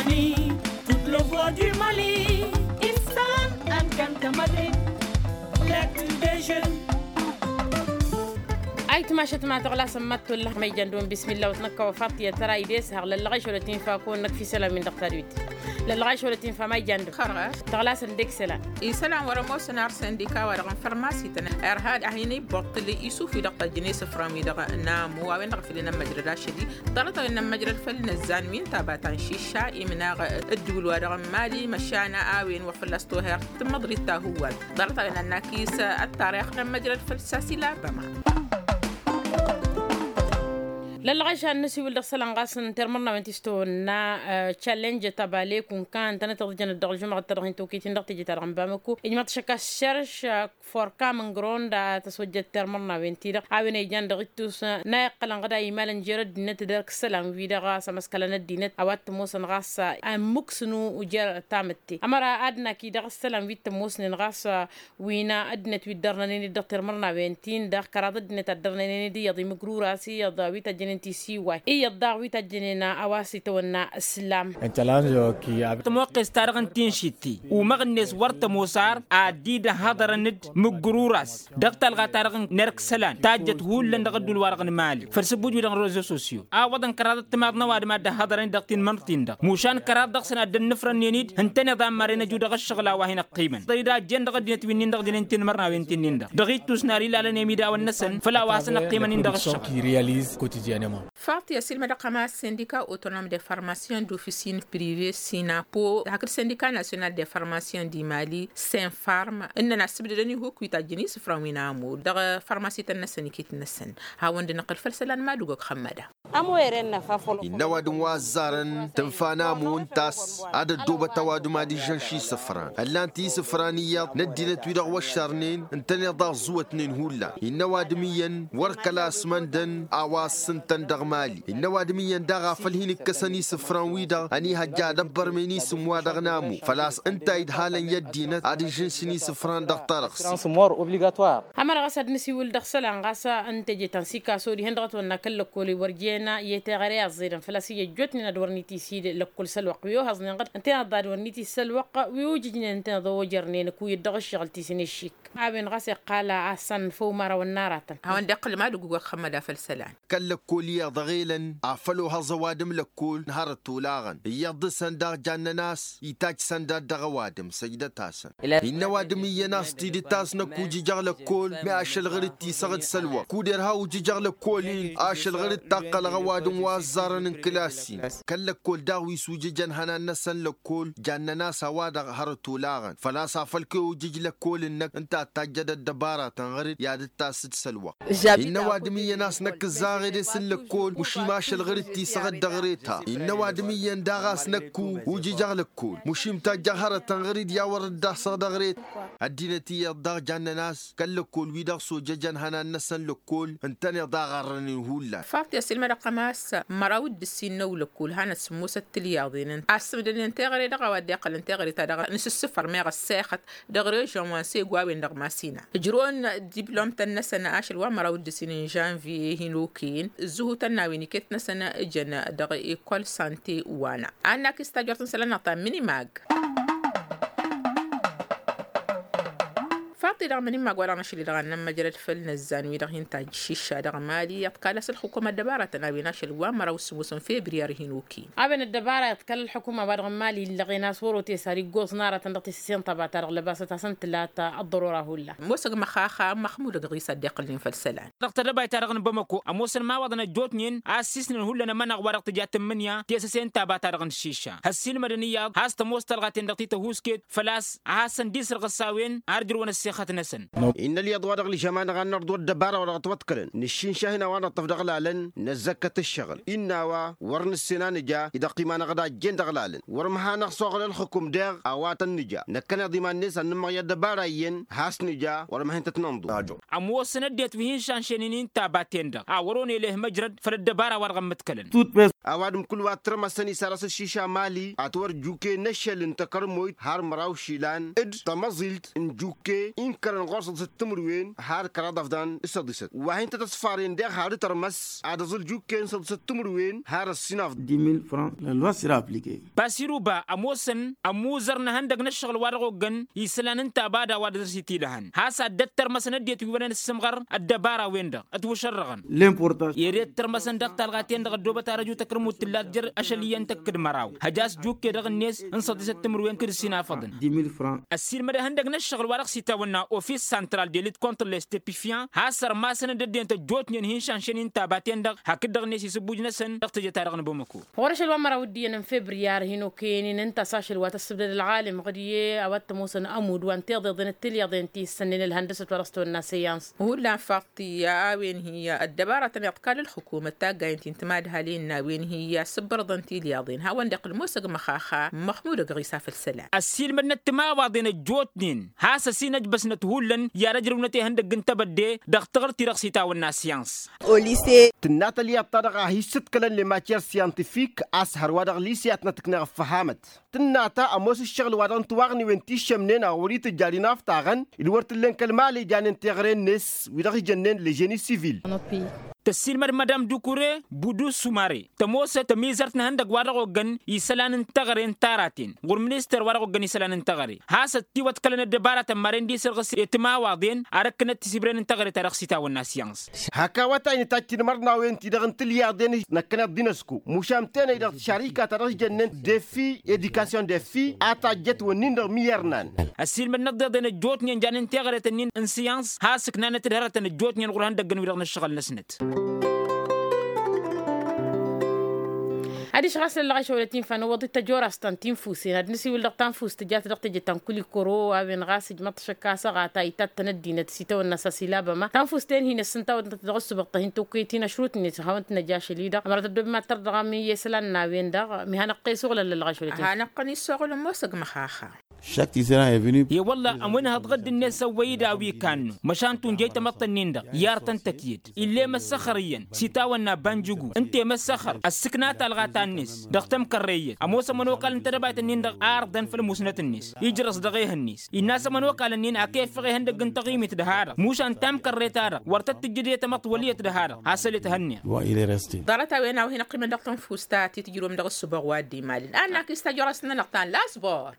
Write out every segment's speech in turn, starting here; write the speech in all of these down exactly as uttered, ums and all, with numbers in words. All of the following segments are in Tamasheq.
Toute le voix du mali. Issan, ankanta madrid. L'actu des jeunes. Ayǝtmašăt ma tăɣlasăn ma t-tollah ma ijan dăɣ-wăn bismillah wăt năkk a-wa faḍt i-ad-tăra ides haɣ lăllăɣ ašăl wăt infa kăwăn-năkk fi isălan-win-dăɣ tadwit. Lăllăɣ ašăl wăt infa ma ijan dăɣ-wăn. Tăɣlasăn deg isălan. Isălan wăr ămoosăn ar săndika wa-dăɣ n-fărmasităn irhad a hin-ibbăḍtǝl isuf-wi-dăɣ tajjăn isǝfran-wi-dăɣ n-amu a-wen-dăɣ făll-inămmăjrăd ašăl-i. Ḍarăt-a-wen inămmăjrăd făll-inăzzan wi n-taba ta n-šišša imnaɣ ǝddǝwǝl-wa-dăɣ n-mali măšan a-wen wăr fălla-s toher tǝmmăḍrit ta hǝwwal. Ḍarăt-a-wen ănnakis ăttarix n-ămmăjrăd făll-sasila băma. Lăllăɣ ašan n-asiwǝl dăɣ-isălan ɣas n-termărnawen ti s-tăwănna challenge tabale kunkan tănăt-iḍǝjănăt dăɣ-aljumăɣăt ta dăɣ-hin-tokit-in dăɣ-teje-ta-dăɣ n-bamăko ijmăḍ šăkka s-šerš forka mǝngrăwăn d-ad-tăswăjjăt termărnawen-ti-dăɣ a-wen a ijan dăɣ-ittus n-a iqqălăn ɣǝd a imalăn jer-ăddinăt d-erk isălan-wi-dăɣ a-s ămăskălăn ăddinăt a-wa t-ămoosăn ɣas ămmǝksǝnu jer-tamǝtte ămăra ad-naki dăɣ-isălan wi t-ămoosnen ɣas wi n-ăddinăt wi dd-ărnănen-dd dăɣ-termărnawen-tin-dăɣ kăraḍ ăddinăt a dd-ărnănen-dd iyyăḍ imǝgrur-as iyyăḍ wi tăjjănen tisiway iyyăḍ daɣ wi tăjjănen a-wa s-itawănna ǝslam. Tămoqqes-ta-dăɣ n-tinšitti umăɣ-net wăr tămoos ar ad-dd-ăhhăḍărăn-dd mǝggǝrur-as dăɣ-talɣa-ta-dăɣ n-erk isălan tajjăt hullan dăɣ-ădduul-wa-dăɣ n-mali făll-sǝbbuj-wi-dăɣ n-rezo sosyo a ǝwwăḍăn kăraḍăt timaḍ n-ăwadǝm ad-dd-ăhhăḍărăn-dd dăɣ-tinmărt-tin-dăɣ mušan kăraḍ dăɣ-săn ad-dd-ănnǝfrănnen-dd ǝntăneḍ a ămmarăn ăju dăɣ-ǝššăɣǝl a-wa hin-ăqqimăn tăyda ăjjeen dăɣ-ăddinăt wi-nin-dăɣ dănen tinmărnawen ti-nin-dăɣ dăɣ-ittus n-ar ilalăn i-imidawăn-năsăn făll-a-wa hasăn-ăqqimăn-in dăɣ-ǝššăɣǝl. Faḍt i-ăsilmădăɣ ămas sindika autonom de farmasiyon d-ofisin prive sinapo hakd sindika nasional de farmasiyon di mali senfarm ǝnnăn a ǝssǝbdădăn ihuk wi tajjăn isǝfran wi n-amud dăɣ-farmasităn-năsăn iket-năsăn. Hawăn-dd-năqqǝl făll-isălan madugog xămmăda. Innă ăwadǝm wa ăzzarăn tǝnfa n-amu ǝnta a-s ad-ăddoobăt ăwadǝm ad-ižžăn šisǝfran ăllan-t isǝfran iyyăḍ n-ăddinăt-wi-dăɣ wăššărnen ǝntăneḍ a ăẓẓuwătnen hullan innă ăwadǝm iyyăn wăr kăla s-măndăn a-wa s-ǝntăn dăɣ-mali innă ăwadǝm iyyăn daɣ a făl hin-ǝkkăsăn isǝfran-wi-dăɣ ănihăjja ad-ăbbărmen isǝm-wa-dăɣ n-amu făl-a-s ǝnta idhalăn i-ăddinăt ad-ižžǝnšǝn isǝfran dăɣ-tarăɣsi. Ămăra ɣas ad-nǝsiwǝl dăɣ-isălan ɣas n-teje ta n-sikaso dihen dăɣ-ătwănna kăl-lăkkol wăr jen i-teɣăre a ăẓẓedăn făl-a-s iyyăt jotnen ad-wăr nitisi d-lăkkol s-ălwăqq wi ohăẓnen ɣǝd ǝnta inăḍḍa ad-wăr nitis s-ălwăqq wi ujǝjnen ǝnta inăḍ ojărnen ǝkuyǝd dăɣ-ǝššăɣǝl ti s-inǝššik a-wen ɣas iqqal a-s ănfăw mara wănna aratăn. Hawăn-dd-iqqǝl madǝg ugoɣ xămmăda făll-isălan. Kăl-lăkkol iyyăḍ dăɣ-elăn afăl ohăẓ ăwadǝm lăkkol n-hărăt olaɣăn iyyăḍ dăɣ-săn daɣ jannăn a-s itajj săndad dăɣ-ăwadǝm săjdăt-asăn. Innă ăwadǝm iyyăn a-s tidǝt a-s năkk ujǝjăɣ lăkkol mi ašăl ɣǝr-dd tisăɣ-dd s-ălwăqq kud-irha ujǝjăɣ lăkkol-in ašăl ɣǝr-dd taqqălăɣ ăwadǝm wa ăẓẓarăn n-kǝlas-in. Kăl-lăkkol daɣ wi s-ujǝjăn hănan-năsăn lăkkol jannăn a-s a-wa-dăɣ hărăt olaɣăn făl-a-s afăl kăy-ojǝj lăkkol-năk ǝnta a tajjăd ăddăbaratăn ɣǝr-dd i-ad-dd-tasǝd s-ălwăqq. Innă ăwadǝm iyyăn a-s năkk ǝzzaɣ edes n-lăkkol măšim ašăl ɣǝr-dd tisăɣ-dd dăɣ-reta innă ăwadǝm iyyăn daɣ a-s năkku ujǝjăɣ lăkkol măšim tajjăɣ hărătăn ɣǝr-dd i-a wăr-dd-asăɣ dăɣ-reta. Ăddinăt iyyăḍ daɣ jannăn a-s kăl-lăkkol-wi-dăɣ s-ojăjăn hănan-năsăn lăkkol ǝntăneḍ a ɣarrănen hullan. Faḍt i-ăsilmădăɣ-tăm a-s măraw d-ǝssin n-ewlăkkol hanăt-sǝmmosăt tilyaḍen-en a ǝssǝbdănen teɣăre dăɣ-a-wa dd-iqqălăn teɣăre-ta-dăɣ n-isǝssǝfăr meɣ ăssexăt dăɣ-režăn wa n-segu a-wen-dăɣ masina ǝjrăwăn diplom-tăn-năsăn ašăl wa măraw d-ǝssin n-žănviye hin-okăyăn ǝzzǝhutăn n-a-wen iket-năsăn ǝjăn dăɣ-ekol sante wa n-a. Ad-nakis tajort n-isălan-năɣ ta n-minimag. Faḍt-i dăɣ-mănimma ăgg-wa-dăɣ n-ašăl-i-dăɣ ad-nămmăjrăd făll-inăzzan-wi-dăɣ hin-tajj šišša dăɣ-mali iḍkal a-s ălxukum ăddăbara tăn-a-wen ašăl wa măraw s-ǝmmosăn febriyar hin-okin. A-wen ăddăbara iḍkal ălxukum a-wa-dăɣ n-mali illăɣen a-s wăr-otes ar iggoẓ n-aratăn dăɣ-tisǝse n-taba-ta-dăɣ lăbasăt-asăn tǝla ta ăḍḍărora hullan. Ămoos ăgg măxaxa n-măxmud ăgg ɣisa dd-iqqǝlnen făll-isălan. Dăɣ-tedăbayt-ta-dăɣ n-bamăko ămoosăn imawaḍăn ăjjootnen a ăssiisnen hullan ămănăɣ wa dăɣ-tǝja tǝmmǝnǝya tisǝse n-taba-ta-dăɣ n-šišša. Hăssiilmădăn iyyăḍ has-tămoos talɣa-ten-dăɣ ti tăhuusket făl-a-s ad-hasăn-dd-isǝrɣǝs a-wen har ǝjrǝwăn ăssixăt-năsăn. Innă ălyaḍ wa dăɣ-ălžăma-năɣ ad-nărḍu ăddăbara wa dăɣ-ătwăḍkălăn nǝššǝnša hin-a-wa năṭṭăf dăɣ-lalăn năzzăkkăt ǝššăɣǝl. Innă a-wa wăr nǝssen a nǝja idăqqima-năɣ d-a ăjjeen dăɣ-lalăn wăr măhanăɣ s-oɣǝl ălxǝkum deɣ a-wa tăn-nǝja năkkăneḍ iman-net ad-nǝmmăɣ i-ăddăbara iyyăn has-nǝja wăr măhăn tăt-nănḍu. Ămoosăn ăddinăt wi hin-šanšăynen i-intabaten-dăɣ a wăr-onăy leh măjrăd făll-ăddăbara wa dăɣ-ămmǝḍkălăn. Ăwadǝm kull wa t-rămăsăn isarăs ăššiša mali ad-t-wăr juke n-ašăl n-takărmoyt har măraw išilan d-tamăẓilt n-juke. kărăn ɣur-săḍisăt timǝrwen har kăraḍ afḍan s-săḍisăt wa hin-tăt-ăṣfaren deɣ har itărmăs ad-ăẓǝl jukken săḍisăt timǝrwen har ăssinafḍan. Dix mille francs la loi sera appliquer. Pasiruba ămoosăn ămuzăr n-ehăndăg n-ǝššăɣǝl wa dăɣ-oggăn isălan n-tabada wa dăr-s itidăhăn has-ad-dd-tărmăsăn ăddinăt wi wăren ǝssǝmɣăr ăddăbara-wen-dăɣ ătwǝšărrăɣăn. Ed ed tărmăsăn dăɣ-talɣa-ten-dăɣ ăddoobăt arăju takărmut tǝllat jer-ašăl iyyăn tăkk d-măraw hăj a-s jukke dăɣ-net n-săḍisăt timǝrwen kǝd ǝssin afăḍăn. Dix mille francs. Ăssiilmăd ehăndăg n-ǝššăɣǝl wa dăɣ-s itawănna ofis santral de lit kontr lestepifyan has-ărmasăn-dd ăddinăt ăjjootnen hin-šanšănen taba-ten-dăɣ hakd-dăɣ-net isǝbbuj-năsăn dăɣ-teje-ta-dăɣ n-bamăko. Ɣur-ašăl wa n-măraw d-iyyăn n-febriyar hin-okăyăn-in ǝnta a-s ašăl wa tăssǝbdăd ălɣalem ɣǝd-i a-wa t-ămoosăn ămud wa n-tiḍeḍen d-tilyaḍen ti ǝssănnen ălhăndăsăt wa dăɣ-s tawănna săyans. Hullan faḍt ti a-wen hi-ăddăbara tăn-iḍkal ǝlxǝkumăt taggayen ti n-timadhalen n-a-wen hi-asǝbbărăḍăn tilyaḍen hawăn-dd-iqqǝl ămoosăg măxaxa măxmud ăgg ɣisa făll-isălan. Ăssiilmădnăt timawaḍen ăjjootnen has-ăsin ăjbăsnăt hullan i-ad-ăjrăwnăt ihăndăgg n-tebădde dăɣ-taɣǝrt-i-dăɣ s-itawănna syans. Tǝnna tălyaḍt-ta-dăɣ a hi-issǝḍkălăn lematiyer syantifik a-s hărwa dăɣ-lise a tănăt-ǝkneɣ ăffăhamăt tǝnna ta ămoos ǝššăɣǝl wa dăɣ-n tiwaɣniwen ti ǝššămnen a ɣur-itǝjja ad-inaftaɣăn d-wăr t-ǝllen kăl-mali janen teɣre-net wi-dăɣ ijănnen leženi sivil. Tăssiilmăd madam dukure budu sumare tămoosăt tămizărt n-ehăndăg wa dăɣ-oggăn isălan n-teɣăre n-taraten ɣur-minister wa dăɣ-oggăn isălan n-teɣăre has-ăttiwăḍkălăn ăddăbara tămmaren d-isărɣǝs i-timawaḍen ar ǝkkǝnăt tisibren n-teɣăre ta dăɣ-s itawănna syans. Hak awătay n-itajj tinmărnawen-ti-dăɣ n-tilyaḍen năkkăneḍ d-inăsko mušan tenăy dăɣ-tišarika ta dăɣ-s jănnen defi edikasyon defi a tajjăt wănnin-dăɣ mi irnan. Ăssiilmădnăt d-iḍen ăjjootnen janen teɣăret-ǝnnin n-syans has-ǝknanăt-dd hărătăn ăjjootnen ɣur-ihăndăggăn-wi-dăɣ n-ǝššăɣǝl-năsnăt. Adiš ɣas lăllăɣ išăwălăt infa n-ăwwăḍ-i tăjorast ta n-tinfusen ad-nǝsiwǝl dăɣ-tanfust tǝjat dăɣ-teje ta n-kulikoro a-wen ɣas ǝjmăḍ-t šăkk asăɣat a itat-tăn ăddinăt s-itawănna s-asilabăma tanfust-en hin-ăssǝntawăt dăɣ-ăssubăɣ ta hin-tokăyăt-in ašrutnet hawăn-t-năj ašăl-i-dăɣ ămărăt ăddoobem ad-tărḍăɣăm i-isălan n-a-wen-dăɣ. Mi hanăɣ-t-e-suɣǝl ăllălăɣ ašăl-ătnăt. Hanăɣ-tăn-issuɣǝl ămoosăg măxaxa. Chaque tisera est venu. E-wălla ămwǝnhăḍ ɣǝdd-net ăwwăy-dd a-wi kannă măšan tunjăy tamăḍt-ǝnnin-dăɣ i-ar tăn-tăkyăd ill'-e măssăxăr iyyăn s-itawănna banjǝgu ǝnta i-măssăxăr ăssǝkna talɣa ta-net dăɣ-tămkărrey iyyăt ămoos ămănokal n-tedăbayt-ǝnnin-dăɣ a ărḍăn făll-musnăt-net ijrăẓ dăɣ-ehăn-net innă a-s ămănokal-ǝnnin akefăɣ ehăndăgg n-taɣimit dăha-dăɣ mušan tamkărre-ta-dăɣ wăr tăt-tǝjjǝd i-tamăḍt wăl' iyyăt dăha-dăɣ. Has-ăllet ehăn-neɣ. Ḍarăt-a-wen a-wa hin-ăqqimăn dăɣ-tanfust ta t-tǝjrǝwăm dăɣ-ǝssǝboɣ wa dd-imalăn ad-nakis tajorăst-nănăɣ ta n-lasbor.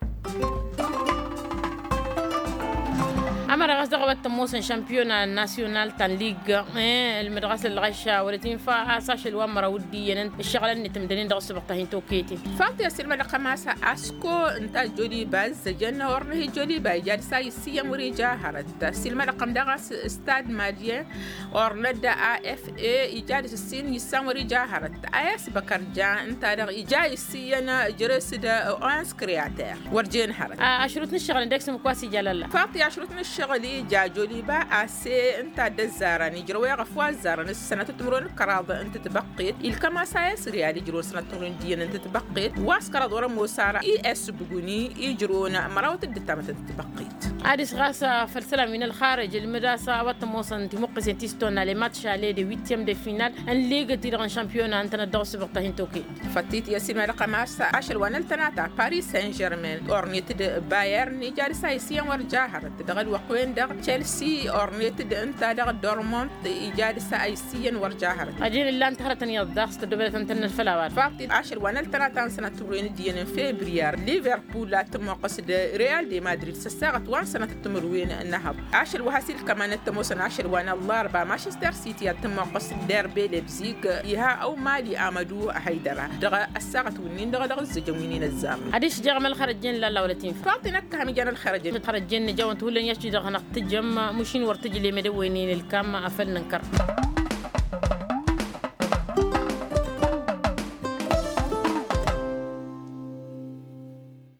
Ămăra ɣas dăɣ-a-wa t-ămoosăn šampiyona nasyonal ta n-lig ǝlmǝd ɣas ălɣăš wălăt infa a-s ašăl wa n-măraw dd-iyyăn ǝššăɣǝlăn-net ǝmdănen dăɣ-ǝssǝbăɣ ta hin-tokăyăt-in. Făḍt i-ăssiilmădăɣ kămasă asko ǝnta joliba ǝzzăjăn ornăh i-joliba ija ad-dăr-s a issǝyyăn wăr-ija hărăt ăssiilmădăɣ-tăn daɣ a-s stad madyen ornăt d-afs ija ad-dăr-s ǝssin issan wăr-ija hărăt a i-asbăkăr ja ǝnta-dăɣ ija issǝyyăn jere-s d-ons kreater wăr jen hărăt. Ašrut n-ǝššăɣǝl ǝndek s-ǝmmǝk wa s-ija lalla. Făḍt i-ašrut n-ǝššăɣǝl ija joliba ase ǝnta dd-ăzzarăn ijrăw eɣăf wa ăzzarăn s-sănatăt timǝrwen d-kăraḍ n-tǝtbăqqet ilkăm-as a i-asriyal ijrăwăn sănatăt timǝrwen d-iyyăn n-tǝtbăqqet wa s-kăraḍ wăr-ămoos ara i-s buguni ijrăwăn mărawăt d-ǝttamăt n-tǝtbăqqet. Adǝs ɣas făll-isălan wi n-ălxarăj ǝlmǝd a-s a-wa t-ămoosăn timuqqǝsen ti s-tonna lematš ale de wittiăm de final n-ligăt-i-dăɣ n-šampiyona ǝntănăt dăɣ-ăssubăɣ ta hin-tokăyăt. Fătt-it i-ăssiilmădăɣ tămass ašăl wa n-ăltănata paris saint-germain ornet d-bayern ija dăr-s a issǝyyăn wăr ja hărăt dăɣ-ălwăqq-wen-dăɣ chelsea ornet d-ǝnta-dăɣ dormont ija dăr-s a issǝyyăn wăr ja hărăt. Ăjin ǝllan-t hărătăn iyyăḍ daɣ s-tăddobădătăn-tăn n-ălfăl a-wa-dăɣ. Făḍt-it ašăl wa n-ăltănata n-sănat timǝrwen d-iyyăn n-febriyar liverpul a t-ămmoqqăs d-real de madrid s-ăssaɣăt wa n-sănatăt timǝrwen n-ehăḍ ašăl wa has-ilkăm-anăt t-ămoosăn ašăl wa n-ăllarba manchester city a t-ămmoqqăs d-derbe lebzig iha ăwmali amădu hăydăra dăɣ-ăssaɣăt wǝnnin-dăɣ dăɣ-ǝzzǝjăn wi n-inăzzarăn. Adiš jeɣăm ălxărăjjen lalla wălăt infa. Făḍt-i năkkăhăm ijan ălxărăjjen. Ălxărăjjen nǝjawăn-t hullan i-ašti-dăɣ hanăɣ-tǝjăm mušin wăr tǝjlem edăwăynen ǝlkam afăl nǝnkăr.